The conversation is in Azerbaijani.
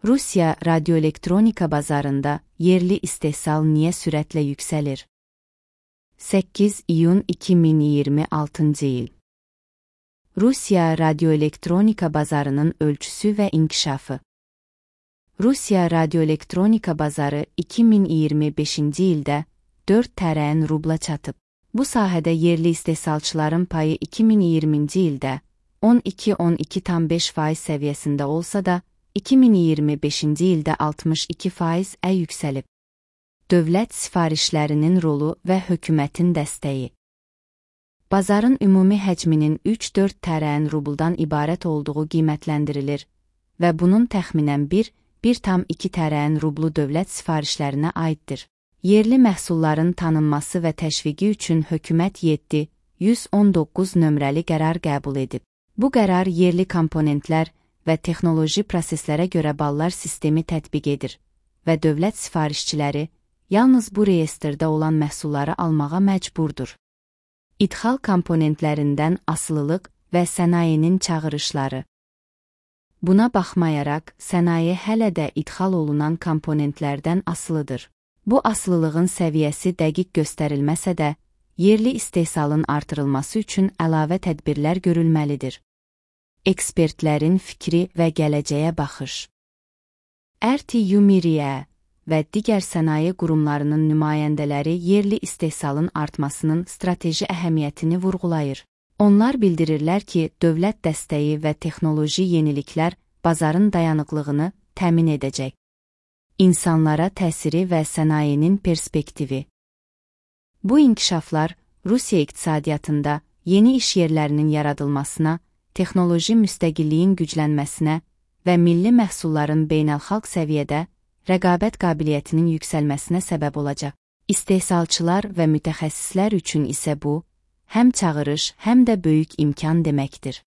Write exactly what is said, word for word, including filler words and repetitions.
Rusiya radioelektronika bazarında yerli istehsal niye sürətle yükselir? səkkiz iyun iki min iyirmi altıncı il. Rusiya radioelektronika bazarının ölçüsü ve inkişafı. Rusiya radioelektronika bazarı iki min iyirmi beşinci ildə dörd tərəyin rubla çatıb. Bu sahədə yerli istehsalçıların payı iki min iyirminci ildə on iki on iki tam beş faiz səviyyəsində olsa da, iki min iyirmi beşinci ildə altmış iki faizə yüksəlib. Dövlət sifarişlərinin rolu və hökumətin dəstəyi. Bazarın ümumi həcminin üç dörd tərəyin rubuldan ibarət olduğu qiymətləndirilir və bunun təxminən bir bir tam iki tərəyin rublu dövlət sifarişlərinə aiddir. Yerli məhsulların tanınması və təşviqi üçün hökumət yeddi yüz on doqquz nömrəli qərar qəbul edib. Bu qərar yerli komponentlər və texnoloji proseslərə görə ballar sistemi tətbiq edir və dövlət sifarişçiləri yalnız bu reyestrdə olan məhsulları almağa məcburdur. İdxal komponentlərindən asılılıq və sənayenin çağırışları. Buna baxmayaraq, sənaye hələ də idxal olunan komponentlərdən asılıdır. Bu asılılığın səviyyəsi dəqiq göstərilməsə də, yerli istehsalın artırılması üçün əlavə tədbirlər görülməlidir. Ekspertlərin fikri və gələcəyə baxış. R T U Miriye və digər sənaye qurumlarının nümayəndələri yerli istehsalın artmasının strateji əhəmiyyətini vurğulayır. Onlar bildirirlər ki, dövlət dəstəyi və texnoloji yeniliklər bazarın dayanıqlığını təmin edəcək. İnsanlara təsiri və sənayenin perspektivi. Bu inkişaflar Rusiya iqtisadiyyatında yeni iş yerlərinin yaradılmasına, texnoloji müstəqilliyin güclənməsinə və milli məhsulların beynəlxalq səviyyədə rəqabət qabiliyyətinin yüksəlməsinə səbəb olacaq. İstehsalçılar və mütəxəssislər üçün isə bu, həm çağırış, həm də böyük imkan deməkdir.